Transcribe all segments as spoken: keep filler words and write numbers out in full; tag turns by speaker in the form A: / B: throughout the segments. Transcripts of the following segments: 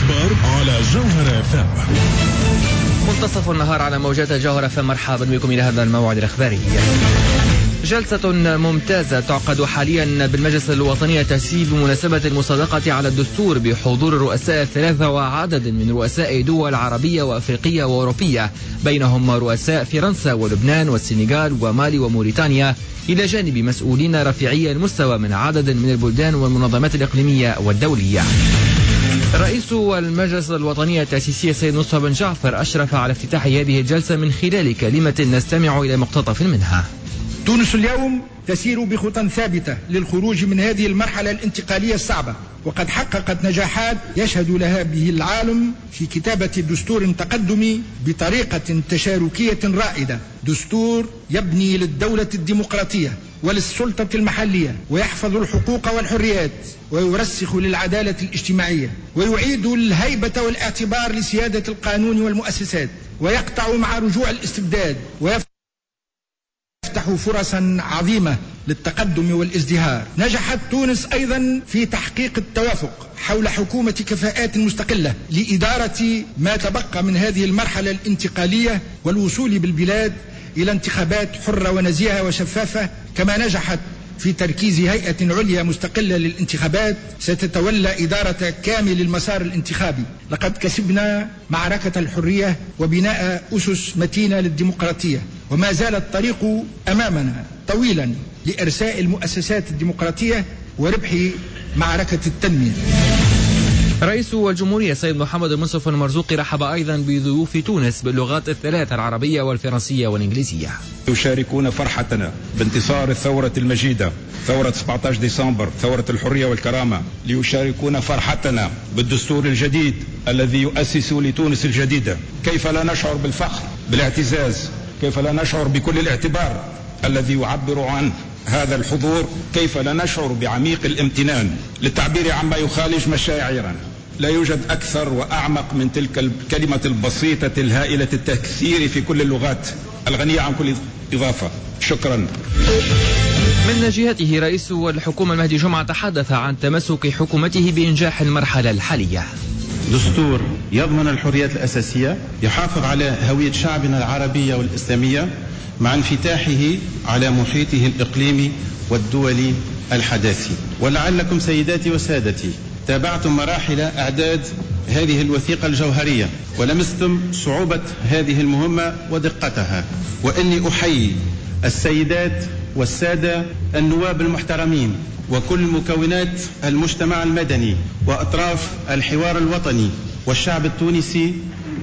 A: الأخبار على جوهرة إف إم.
B: منتصف النهار على موجات الجوهرة، فمرحبا بكم إلى هذا الموعد الإخباري. جلسة ممتازة تعقد حاليا بالمجلس الوطني التأسيسي بمناسبة المصادقة على الدستور بحضور الرؤساء الثلاثة وعدد من رؤساء دول عربية وأفريقية وأوروبية، بينهم رؤساء فرنسا ولبنان والسنغال ومالي وموريتانيا، إلى جانب مسؤولين رفيعي المستوى من عدد من البلدان والمنظمات الإقليمية والدولية. رئيس المجلس الوطني التأسيسي السيد مصطفى بن جعفر أشرف على افتتاح هذه الجلسة من خلال كلمة نستمع إلى مقتطف منها.
C: تونس اليوم تسير بخطى ثابتة للخروج من هذه المرحلة الانتقالية الصعبة، وقد حققت نجاحات يشهد لها به العالم في كتابة دستور تقدمي بطريقة تشاركية رائدة، دستور يبني للدولة الديمقراطية وللسلطة المحلية، ويحفظ الحقوق والحريات، ويرسخ للعدالة الاجتماعية، ويعيد الهيبة والاعتبار لسيادة القانون والمؤسسات، ويقطع مع رجوع الاستبداد، ويفتح فرصا عظيمة للتقدم والازدهار. نجحت تونس أيضا في تحقيق التوافق حول حكومة كفاءات مستقلة لإدارة ما تبقى من هذه المرحلة الانتقالية والوصول بالبلاد إلى انتخابات حرة ونزيهة وشفافة، كما نجحت في تركيز هيئة عليا مستقلة للانتخابات ستتولى إدارة كامل المسار الانتخابي. لقد كسبنا معركة الحرية وبناء أسس متينة للديمقراطية، وما زال الطريق أمامنا طويلا لإرساء المؤسسات الديمقراطية وربح معركة التنمية.
B: رئيس الجمهورية السيد محمد المنصف المرزوقي رحب أيضا بضيوف تونس باللغات الثلاث العربية والفرنسية والإنجليزية.
D: يشاركون فرحتنا بانتصار الثورة المجيدة، ثورة سبعة عشر ديسمبر، ثورة الحرية والكرامة، ليشاركون فرحتنا بالدستور الجديد الذي يؤسس لتونس الجديدة. كيف لا نشعر بالفخر، بالاعتزاز، كيف لا نشعر بكل الاعتبار الذي يعبر عنه هذا الحضور، كيف لا نشعر بعميق الامتنان للتعبير عما يخالج مشاعرنا. لا يوجد أكثر وأعمق من تلك الكلمة البسيطة الهائلة التكثير في كل اللغات، الغنية عن كل إضافة. شكرا.
B: من جهته رئيس الحكومة المهدي جمعة تحدث عن تمسك حكومته بإنجاح المرحلة الحالية.
E: دستور يضمن الحريات الأساسية، يحافظ على هوية شعبنا العربية والإسلامية مع انفتاحه على محيطه الإقليمي والدولي الحداثي. ولعلكم سيداتي وسادتي تابعتم مراحل إعداد هذه الوثيقة الجوهرية ولمستم صعوبة هذه المهمة ودقتها، وإني أحيي السيدات والسادة النواب المحترمين وكل مكونات المجتمع المدني وأطراف الحوار الوطني والشعب التونسي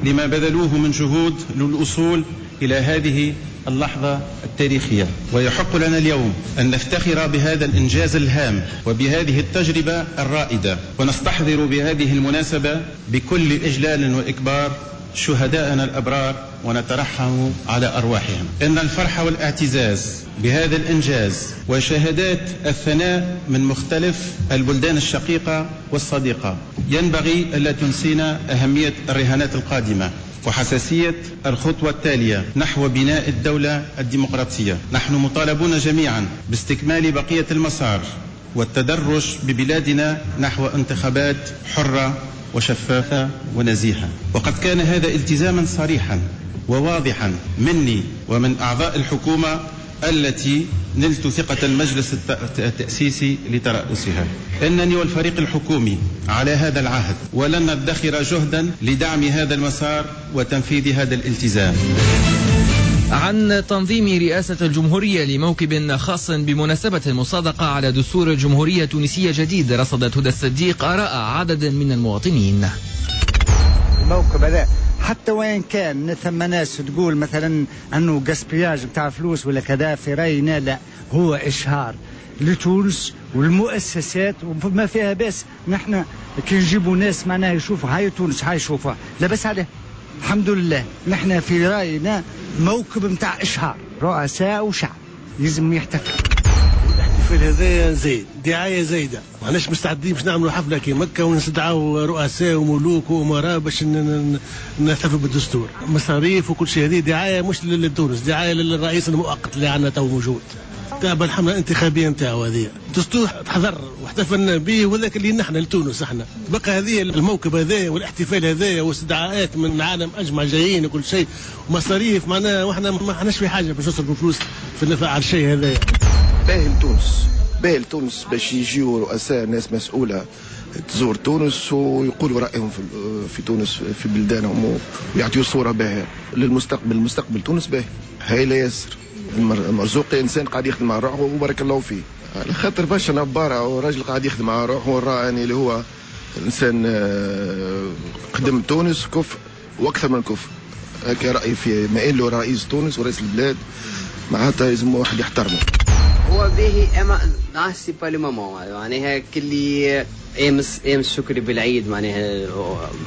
E: لما بذلوه من جهود للوصول إلى هذه اللحظة التاريخية. ويحق لنا اليوم أن نفتخر بهذا الإنجاز الهام وبهذه التجربة الرائدة، ونستحضر بهذه المناسبة بكل إجلال وإكبار شهداءنا الأبرار ونترحم على أرواحهم. إن الفرح والاعتزاز بهذا الإنجاز وشهادات الثناء من مختلف البلدان الشقيقة والصديقة ينبغي ألا تنسينا أهمية الرهانات القادمة وحساسية الخطوة التالية نحو بناء الدولة الديمقراطية. نحن مطالبون جميعا باستكمال بقية المسار والتدرج ببلادنا نحو انتخابات حرة وشفافة ونزيهة. وقد كان هذا التزاما صريحا وواضحا مني ومن أعضاء الحكومة التي نلت ثقة المجلس التأسيسي لترأسها. إنني والفريق الحكومي على هذا العهد، ولن ندخر جهدا لدعم هذا المسار وتنفيذ هذا الالتزام.
B: عن تنظيم رئاسة الجمهورية لموكب خاص بمناسبة المصادقة على دستور الجمهورية التونسية جديد، رصدت هدى الصديق آراء عدد من المواطنين.
F: الموكب هذا حتى وين كان ثم ناس تقول مثلا انه gaspillage نتاع فلوس ولا كذا، في راينا لا، هو اشهار لتونس والمؤسسات وما فيها باس. نحن كي نجيبوا ناس معناها يشوفوا هاي تونس، هاي يشوفوها لاباس عليه الحمد لله. نحن في راينا موكب نتاع اشهار رؤساء وشعب لازم يحتفل.
G: الاحتفال هذا زايد، دعاية زايدة، ماناش مستعدين باش نعملوا حفلة كي مكة ونستدعوا رؤساء وملوك وامراء باش نحتفلوا بالدستور، مصاريف وكل شيء. هذه دعاية مش لتونس، دعاية للرئيس المؤقت اللي عندنا تو موجود. تابع الحملة الانتخابية نتاعو هذه. الدستور تحضر واحتفلنا به، وذاك اللي نحن لتونس احنا. بقى هذه الموكب هذا والاحتفال هذا واستدعاءات من العالم اجمع جايين وكل شيء ومصاريف، معناها واحنا ما احناش في حاجة باش نصرفوا فلوس في النفع على الشيء هذا.
H: باهي لتونس، باهي لتونس باش يجيو رؤساء ناس مسؤولة تزور تونس ويقولوا رايهم في في تونس في بلدانهم ويعطيوا صوره باهيه للمستقبل. المستقبل تونس باهي هايلة ياسر. المرزوقي انسان قاعد يخدم على روحه وبارك الله فيه، على خاطر برشا نباره وراجل قاعد يخدم على روحه وراه يعني اللي هو انسان قدم تونس كفء واكثر من كفء. هكا رايي في ما له رئيس تونس ورئيس البلاد معناتها لازم واحد يحترمه.
I: هو باهي اما c'est pas le moment، معناها كلي امس امس شكري بالعيد معناها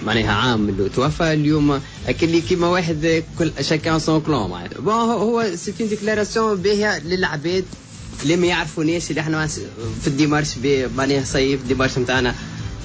I: معناها عام اللي توفى اليوم كلي كيما واحد كل chacun son clan معناها. bon هو c'est une déclaration باهيه للعباد اللي ما يعرفوناش اللي احنا في ال démarche معناها صيف ال démarche نتاعنا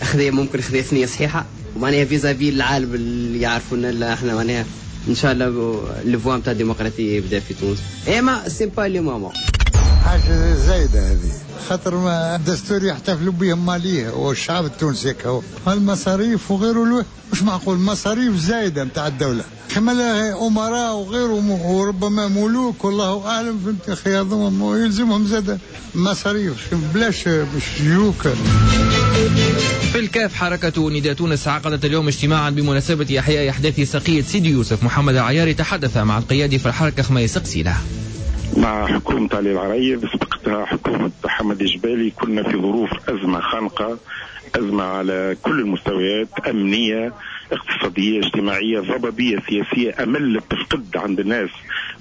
I: خذا ممكن خذا ثنيه صحيحه ومعناها vis-à-vis العالم اللي يعرفونا احنا معناها ان شاء الله le vent نتاع الديمقراطية يبدا في تونس، اما c'est pas le moment.
J: حاجة زايدة هذه، خاطر ما الدستور يحتفلوا به ماليه والشعب التونسي هكا، المصاريف وغيره مش معقول، مصاريف زايدة نتاع الدولة، كما امراء وغيره وربما ملوك والله اعلم، فهمت اخي، هذوما يلزمهم زاده مصاريف بلاش باش يجوك.
B: في الكاف حركة نداء تونس عقدت اليوم اجتماعا بمناسبة إحياء أحداث سقية سيدي يوسف. محمد العياري تحدث مع القيادي في الحركة خميس قسيلة.
K: مع حكومة علي العريض سبقتها حكومة حمد الجبالي كنا في ظروف أزمة خانقة، أزمة على كل المستويات، أمنية، اقتصادية، اجتماعية، ضبابية سياسية، أمل تفقد عند الناس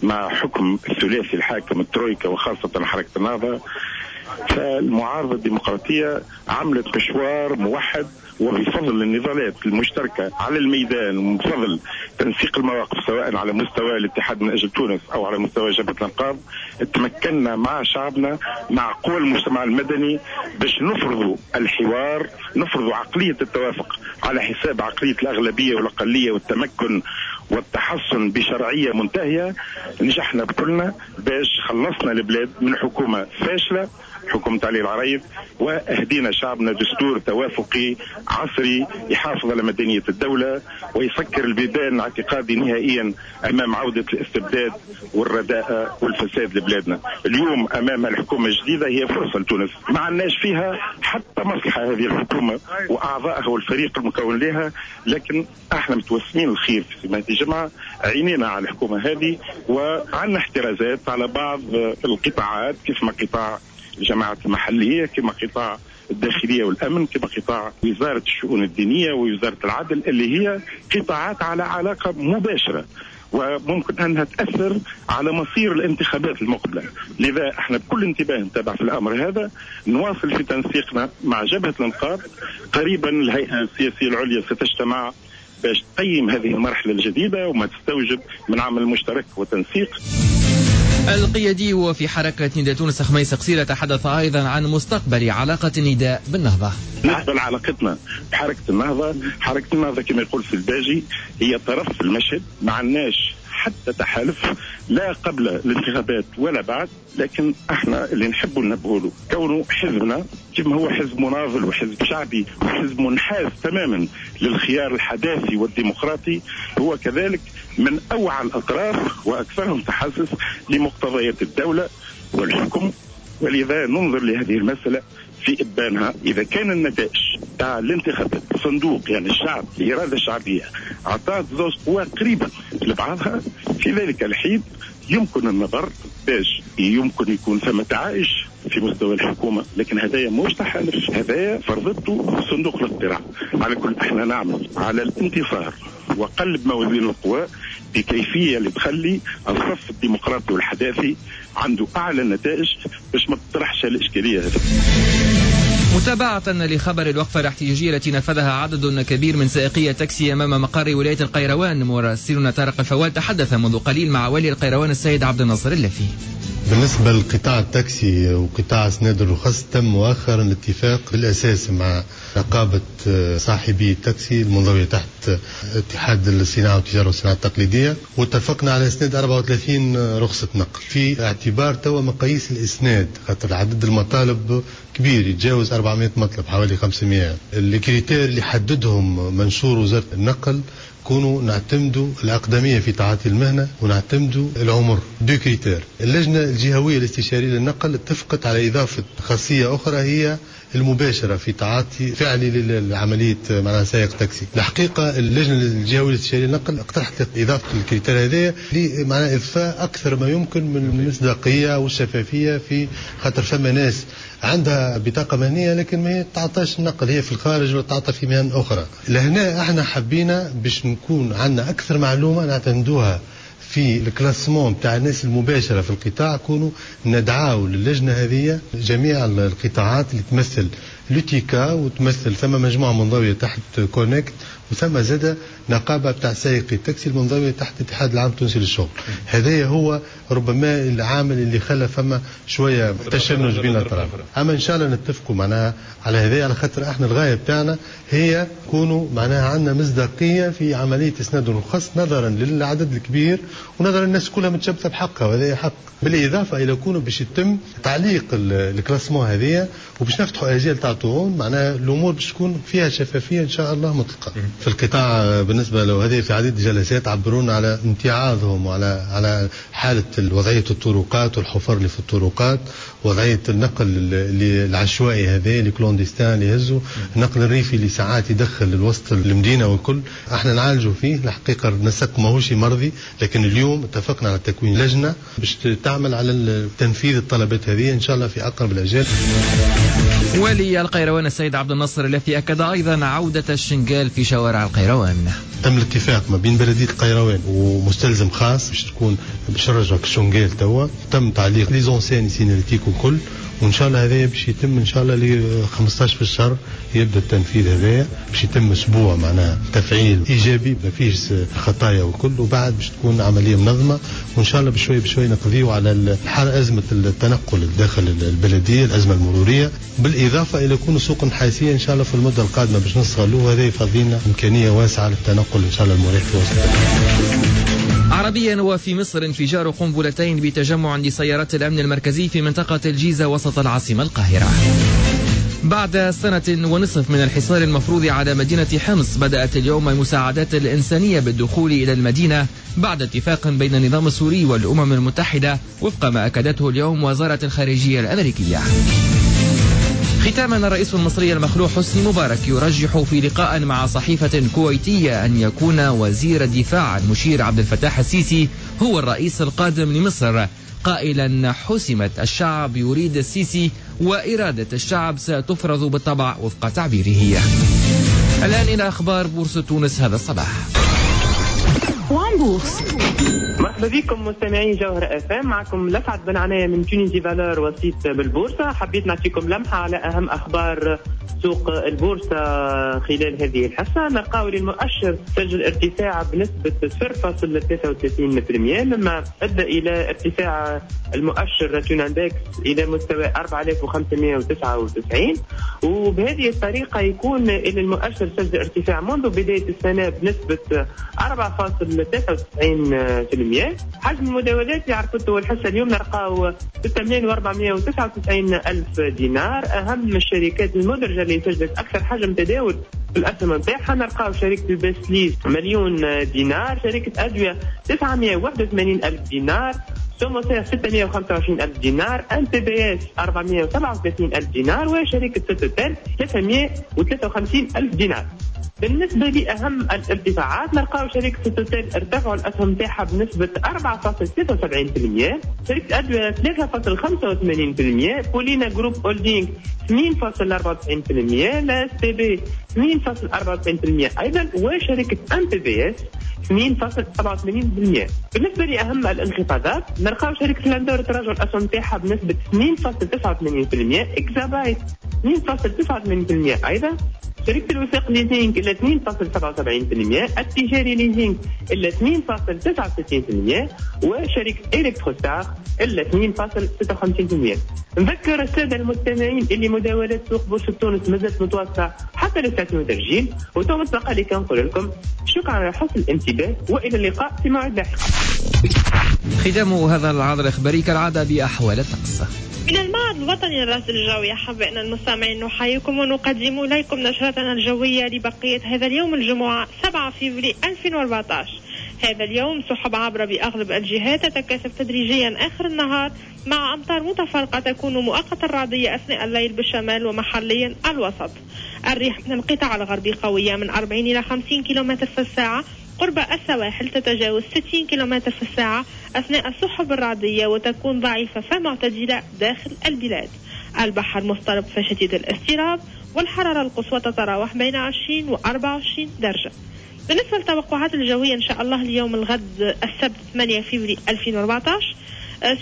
K: مع حكم الثلاثي الحاكم الترويكا وخاصة حركة النهضة. فالمعارضة الديمقراطية عملت مشوار موحد، وبفضل النضالات المشتركة على الميدان وبفضل تنسيق المواقف سواء على مستوى الاتحاد من أجل تونس أو على مستوى جبهة الأنقاض، تمكنا مع شعبنا مع قوى المجتمع المدني باش نفرضوا الحوار، نفرضوا عقلية التوافق على حساب عقلية الأغلبية والأقلية والتمكن والتحصن بشرعية منتهية. نجحنا بكلنا باش خلصنا البلاد من حكومة فاشلة، حكومة علي العريض، وأهدينا شعبنا دستور توافقي عصري يحافظ على مدنية الدولة ويسكر البيبان اعتقادي نهائيا أمام عودة الاستبداد والرداءة والفساد لبلادنا. اليوم أمام الحكومة الجديدة هي فرصة لتونس، ما عندناش فيها حتى مصلحة هذه الحكومة وأعضائها والفريق المكون لها، لكن احنا متوسمين الخير في سماحة الجمعة، عينينا على الحكومة هذه وعندنا احترازات على بعض القطاعات كيف ما قطاع الجماعات المحلية، كما قطاع الداخلية والأمن، كما قطاع وزارة الشؤون الدينية ووزارة العدل، اللي هي قطاعات على علاقة مباشرة وممكن أنها تأثر على مصير الانتخابات المقبلة. لذا احنا بكل انتباه نتابع في الأمر هذا، نواصل في تنسيقنا مع جبهة الأنقاض. قريبا الهيئة السياسية العليا ستجتمع باش تقيم هذه المرحلة الجديدة وما تستوجب من عمل مشترك وتنسيق.
B: القيادي وفي حركة نداء تونس خميس قصيرة تحدث أيضا عن مستقبل علاقة النداء بالنهضة.
K: بالنسبة لعلاقتنا بحركة النهضة، حركة النهضة كما يقول في الباجي هي طرف في المشهد، ما عندناش حتى تحالف لا قبل الانتخابات ولا بعد، لكن احنا اللي نحبوا ننبهوا له كونه حزبنا كما هو حزب مناضل وحزب شعبي وحزب منحاز تماما للخيار الحداثي والديمقراطي، هو كذلك من اوعى الاطراف واكثرهم تحسس لمقتضيات الدولة والحكم. ولذا ننظر لهذه المسالة في ابانها. اذا كان النتائج تاع الانتخابات الصندوق يعني الشعب الارادة الشعبية اعطت زوج قوى قريبه لبعضها، في ذلك الحين يمكن النظر باش يمكن يكون ثم تعايش في مستوى الحكومة، لكن هذايا مش تحالف، هذايا فرضته صندوق الاقتراع. على كل احنا نعمل على الانتصار وقلب موازين القوى بكيفية اللي تخلي الصف الديمقراطي والحداثي عنده اعلى النتائج باش ما تطرحش الاشكالية هذه.
B: متابعة لخبر الوقفة الاحتجاجية التي نفذها عدد كبير من سائقي التاكسي أمام مقر ولاية القيروان، مراسلنا طارق الفوال تحدث منذ قليل مع والي القيروان السيد عبد الناصر اللافي.
E: بالنسبة لقطاع التاكسي وقطاع اسناد الرخص، تم مؤخرا الاتفاق بالأساس مع نقابة صاحبي التاكسي المنضوية تحت اتحاد الصناعة والتجارة والصناعة التقليدية، واتفقنا على اسناد أربعة وثلاثين رخصة نقل في اعتبار توا مقاييس الاسناد، خاطر عدد المطالب كبير يتجاوز أربعمائة مطلب، حوالي خمسمائة. ال critères اللي حددهم منشور وزارة النقل كونوا نعتمدوا الأقدمية في تعاطي المهنة ونعتمدوا العمر، deux critères. اللجنة الجهوية الاستشارية للنقل اتفقت على إضافة خاصية أخرى هي المباشرة في تعاطي فعلي للعملية معناها سائق تاكسي. الحقيقة اللجنة الجهوية الاستشارية للنقل اقترحت إضافة ال critère هذايا معناها إضفاء أكثر ما يمكن من المصداقية والشفافية، في خاطر فما ناس عندها بطاقة مهنية لكن ما تعطاش النقل، هي في الخارج وتعطى في مهن أخرى. لهنا احنا حبينا باش نكون عندنا أكثر معلومة نعتمدوها في ال classement تاع الناس المباشرة في القطاع، كونوا ندعاو للجنة هذه جميع القطاعات اللي تمثل l'UTICA وتمثل ثم مجموعة منضوية تحت CONECT، وثم زاد نقابة بتاع سائقي التاكسي المنضوية تحت الاتحاد العام التونسي للشغل. هذا هو ربما العامل اللي خلى فما شوية تشنج بين الأطراف. أما إن شاء الله نتفقوا معناها على هذا، على خاطر احنا الغاية بتاعنا هي كونوا معناها عندنا مصداقية في عملية إسناد الرخص نظرا للعدد الكبير ونظرا الناس كلها متشبثة بحقها، وهذا حق. بالإضافة إلى كونه باش يتم تعليق ال classement هذه وباش نفتحوا أجيال تاع طعون، معناها الأمور باش تكون فيها شفافية إن شاء الله مطلقة. في القطاع بالنسبة له هذه في عديد الجلسات عبرونا على امتعاضهم وعلى على حالة وضعية الطرقات والحفر اللي في الطرقات، وضعية النقل اللي العشوائي هذا اللي clandestin اللي يهزوا، النقل الريفي اللي ساعات يدخل الوسط المدينة والكل، احنا نعالجوا فيه. الحقيقة النسق ماهوش مرضي، لكن اليوم اتفقنا على تكوين لجنة باش تعمل على تنفيذ الطلبات هذه إن شاء الله في أقرب الأجال.
B: ولي القيروان السيد عبد الناصر الذي أكد أيضا عودة الشنغال في شوارع القيروان.
E: تم الاتفاق ما بين بلدية القيروان ومستلزم خاص باش تكون باش نرجعوا الشنغال توا، تم تعليق les enseignes signalétiques وكل، وان شاء الله هذايا باش يتم ان شاء الله ل خمسطاش في الشهر يبدا التنفيذ هذايا، باش يتم اسبوع معناها تفعيل ايجابي ما فيش خطايا وكل، وبعد باش تكون عملية منظمة، وان شاء الله بشوي بشوي نقضيو على ازمة التنقل داخل البلدية، الازمة المرورية، بالاضافة الى كون سوق نحاسيه ان شاء الله في المدة القادمة باش نستغلوه، هذا يفضينا امكانية واسعة للتنقل ان شاء الله المريح في وسط.
B: عربيا وفي مصر انفجار قنبلتين بتجمع لسيارات الأمن المركزي في منطقة الجيزة وسط العاصمة القاهرة. بعد سنة ونصف من الحصار المفروض على مدينة حمص، بدأت اليوم المساعدات الإنسانية بالدخول إلى المدينة بعد اتفاق بين النظام السوري والأمم المتحدة، وفق ما أكدته اليوم وزارة الخارجية الأمريكية. ختاما، الرئيس المصري المخلوع حسني مبارك يرجح في لقاء مع صحيفة كويتية أن يكون وزير الدفاع المشير عبد الفتاح السيسي هو الرئيس القادم لمصر، قائلا حسمت، الشعب يريد السيسي وإرادة الشعب ستفرض بالطبع وفق تعبيره. الآن إلى أخبار بورصة تونس هذا الصباح.
L: مرحبا بكم مستمعين جوهرة اف ام، معكم لسعد بن عناية من Tunisie Valeurs وسيط بالبورصة. حبيت نعطيكم لمحة على أهم أخبار سوق البورصة خلال هذه الحصة. نلقاو المؤشر سجل ارتفاع بنسبة صفر فاصلة ثلاثة وثلاثين بالمئة، مما أدى إلى ارتفاع المؤشر Tunindex إلى مستوى أربعة آلاف وخمسمائة وتسعة وتسعين، وبهذه الطريقة يكون إلى المؤشر سجل ارتفاع منذ بداية السنة بنسبة أربعة فاصلة ثلاثة وتسعين بالمئة. حجم المداولات اللي عرفته الحصة اليوم نلقاو ستة ملايين وأربعمائة وتسعة وتسعين ألف دينار. أهم الشركات المدرجة اللي سجلت أكثر حجم تداول في الأسهم نتاعها نلقاو شركة الباسليس مليون دينار، شركة أدوية تسعمائة وواحد وثمانين ألف دينار، سوموسير ستمائة وخمسة وعشرين ألف دينار، ام تي بي اس أربعمائة وسبعة وثلاثين ألف دينار، وشركة سوتوتيل ثلاثمائة وثلاثة وخمسين ألف دينار. بالنسبة لأهم الارتفاعات نلقاو شركة سوتوتيل ارتفعوا الأسهم تاعها بنسبة أربعة فاصلة ثلاثة وسبعين بالمئة، شركة أدوية ثلاثة فاصلة خمسة وثمانين بالمئة، بولينا جروب هولدينغ اثنين فاصلة أربعة وتسعين بالمئة، لا اس تي بي اثنين فاصلة أربعة وتسعين بالمئة أيضا، وشركة ام تي بي اس اثنين فاصلة سبعة وثمانين بالمئة. بالنسبة لأهم الانخفاضات نلقاو شركة لاندور تراجع الأسهم تاعها بنسبة اثنين فاصلة تسعة وثمانين بالمئة، إكزابايت اثنين فاصل تسعة وثمانين بالمئة أيضا، شركة الوثاق ليزينغ إلى اثنين فاصل سبعة وسبعين بالمئة، التجاري ليزينغ إلى اثنين فاصل تسعة وستين بالمئة، وشركة إلكتروستار إلى اثنين فاصل ستة وخمسين بالمئة. نذكر السادة المستمعين اللي مداولات سوق بورصة تونس مازالت متواصلة حتى للساعة وترجيل، وتو متبقى لي كنقول لكم شكرا على حسن الانتباه وإلى اللقاء في موعد لاحق.
B: ختام هذا العرض الإخباري كالعادة بأحوال الطقس.
M: من المعهد الوطني للرصد الجوي أحبائنا المستمعين نحييكم ونقدم إليكم نشرتنا الجوية لبقية هذا اليوم الجمعة سبعة فبراير ألفين وأربعة عشر. هذا اليوم سحب عابرة بأغلب الجهات تتكاثف تدريجيا آخر النهار مع أمطار متفرقة تكون مؤقتا رعدية أثناء الليل بالشمال ومحليا الوسط. الريح من القطاع الغربي قوية من أربعين إلى خمسين كيلومتر في الساعة، قرب السواحل تتجاوز ستين كيلومتر في الساعة أثناء السحب الرعدية وتكون ضعيفة فمعتدلة داخل البلاد. البحر مضطرب فشديد الاضطراب والحرارة القصوى تتراوح بين عشرين وأربعة وعشرين درجة. بالنسبة للتوقعات الجوية إن شاء الله اليوم الغد السبت ثمانية فبراير ألفين وأربعة عشر،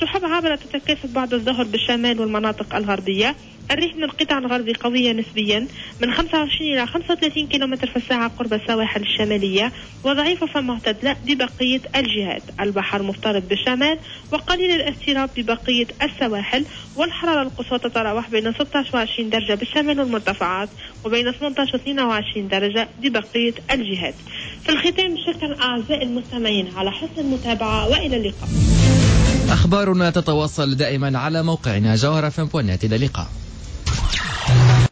M: سحب عابرة تتكاثف بعد الظهر بالشمال والمناطق الغربية. الريح من القطاع الغربي قوية نسبيا من خمسة وعشرين إلى خمسة وثلاثين كيلومتر في الساعة قرب السواحل الشمالية وضعيفة فمعتدلة ببقية الجهات. البحر مضطرب بالشمال وقليل الاضطراب ببقية السواحل، والحرارة القصوى تتراوح بين ستة عشر وعشرين درجة بالشمال والمرتفعات وبين ثمانية عشر واثنين وعشرين درجة ببقية الجهات. في الختام شكرا أعزائي المستمعين على حسن المتابعة وإلى اللقاء.
B: أخبارنا تتواصل دائما على موقعنا جوهرة فم دوت نت. إلى اللقاء.